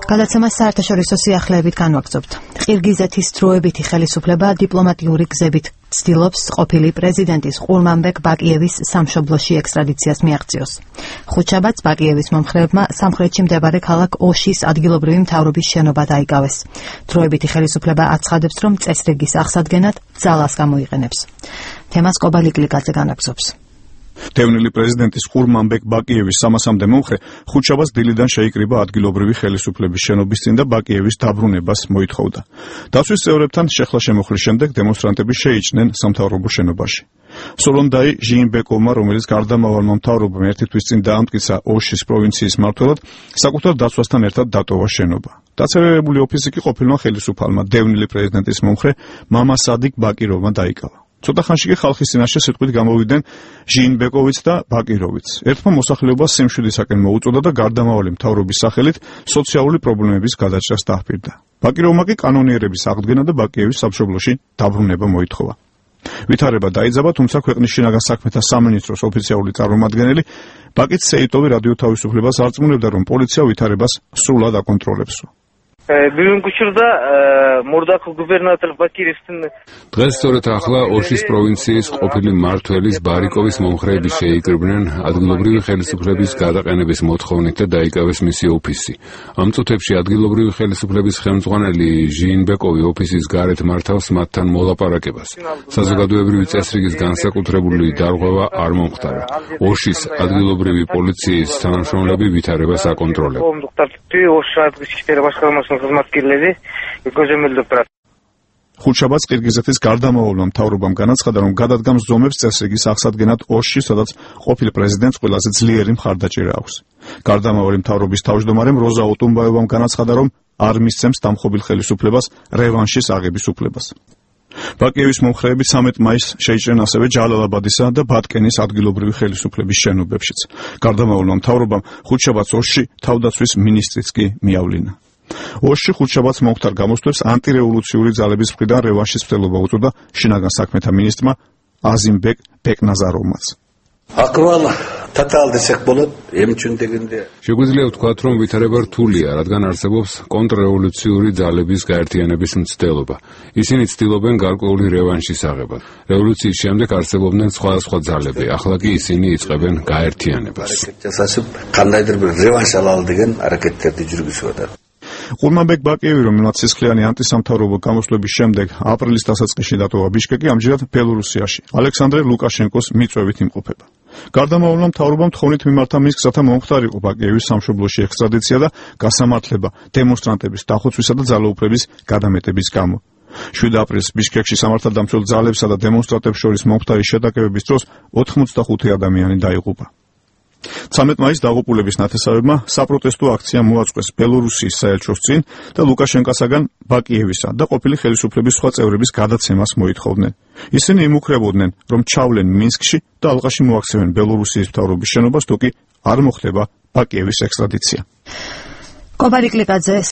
გადაცემას საერთაშორისო სიახლეებით განვაგრძობთ. ყირგიზეთის დროებითი ხელისუფლება დიპლომატიური გზებით ცდილობს ყოფილი პრეზიდენტის ყურმანბეკ ბაკიევის სამშობლოში ექსტრადიციას მიაღწიოს. ხუთშაბათს ბაკიევის მომხრეებმა სამხრეთში მდებარე ქალაქ ოშის ადგილობრივი მთავრობის შენობა დაიკავეს. დროებითი ხელისუფლება აცხადებს, რომ წესრიგის აღსადგენად ძალას გამოიყენებს. თემას კობალიკლიკაძე განაგრძობს. დევნილი პრეზიდენტის ყურმანბეკ ბაკიევის 300-მდე მომხრე ხუთშაბათს დილიდან შეიკრიბა ადგილობრივი ხელისუფლების შენობის წინ და ბაკიევის დაბრუნებას მოითხოვდა. დაცვის წევრებთან შეხლა-შემოხლის შემდეგ დემონსტრანტები შეიჭნენ სამთავრობო შენობაში. სოლონდაი ჟიინბეკოვმა, რომელიც გარდამავალმა მთავრობამ ერთი თვის წინ დაამტკიცა ოშის პროვინციის მმართველად, საკუთარ დაცვასთან ერთად დატოვა შენობა. დაცერერებული ოფისი კი ყოფილმა ხელისუფალმა დევნილი პრეზიდენტის მომხრე მამასადიკ ბაკიროვმა დაიკავა. ცოტა ხანში კი ხალხის წინაშე სიტყვით გამოვიდნენ ჟიინბეკოვიც და ბაკიროვიც. ერთმა მოსახლეობას სიმშვიდისაკენ მოუწოდა და გარდამავალი მთავრობის სახელით სოციალური პრობლემების გადაჭრას დაჰპირდა. ბაკიროვმა კი კანონიერების აღდგენა და ბაკიევის სამშობლოში დაბრუნება მოითხოვა. ვითარება დაიძაბა, თუმცა ქვეყნის შინაგან საქმეთა სამინისტროს ოფიციალური წარმომადგენელი ბაკიც სეიტოვი რადიო თავისუფლებას არწმუნებდა, რომ პოლიცია ვითარებას სრულად აკონტროლებს. დღეს სწორედ ახლა ოშის პროვინციის ყოფილი მმართველის ბარიკოვის მომხრეები შეიკრიბნენ ადგილობრივი ხელისუფლების გადაყენების მოთხოვნით და დაიკავეს მისი ოფისი. ამ წუთებში ადგილობრივი ხელისუფლების ხელმძღვანელი ჟიინბეკოვი ოფისის გარეთ მართავს მათთან მოლაპარაკებას. საზოგადოებრივი წესრიგის განსაკუთრებული დარღვევა არ მომხდარა. ოშის ადგილობრივი პოლიციის თანამშრომლები ვითარებას აკონტროლებენ. ხუთშაბათს ყირგიზეთის გარდამავალმა მთავრობამ განაცხადა, რომ გადადგამს ზომებს წესრიგის აღსადგენად ოშში, სადაც ყოფილ პრეზიდენტს ყველაზე ძლიერი მხარდაჭერა აქვს. გარდამავალი მთავრობის თავმჯდომარემ როზა ოტუმბაევამ განაცხადა, რომ არ მისცემს დამხობილ ხელისუფლებას რევანშის აღების უფლებას. ბაკიევის მომხრეები 13 მაისს შეიჭრნენ ასევე ჯალალაბადისა და ბატკენის ადგილობრივი ხელისუფლების შენობებშიც. გარდამავალმა მთავრობამ ხუთშაბათს ოშში თავდაცვის მინისტრიც კი მიავლინა. ოშში ხუთშაბათს მომხდარ გამოსვლებს ანტირევოლუციური ძალების მხრიდან რევანშის მცდელობა უწოდა შინაგან საქმეთა მინისტრმა აზიმბეკ ბეკნაზაროვმაც. შეგვიძლია ვთქვათ, რომ ვითარება რთულია, რადგან არსებობს კონტრრევოლუციური ძალების გაერთიანების მცდელობა. ისინი ცდილობენ გარკვეული რევანშის აღებას. რევოლუციის შემდეგ არსებობდნენ სხვადასხვა ძალები, ახლა კი ისინი იწყებენ გაერთიანებას. ყურმანბეკ ბაკიევი, რომელმაც სისხლიანი ანტისამთავრობო გამოსვლების შემდეგ აპრილის დასაწყისში დატოვა ბიშკეკი, ამჯერად ბელორუსიაში ალექსანდრე ლუკაშენკოს მიწვევით იმყოფება. გარდამავალმა მთავრობამ თხოვნით მიმართა მის გზათა მომხდარიყო ბაკიევის სამშობლოში ექსტრადიცია და გასამართლება დემონსტრანტების დახოცვისა და ძალაუფლების გადამეტების გამო. 7 აპრილს ბიშკეკში სამართალდამცველ ძალებსა და დემონსტრანტებს შორის მომხდარი შეტაკებების დროს 85 ადამიანი დაიღუპა. 13 მაისს დაღუპულების ნათესავებმა საპროტესტო აქცია მოაწყვეს ბელორუსიის საელჩოს წინ და ლუკაშენკასაგან ბაკიევისა და ყოფილი ხელისუფლების სხვა წევრების გადაცემას მოითხოვდნენ. ისინი იმუქრებოდნენ, რომ ჩავლენ მინსკში და ალყაში მოაქცევენ ბელორუსიის მთავრობის შენობას, თუ კი არ მოხდება ბაკიევის ექსტრადიცია. კობალიკლიკაძე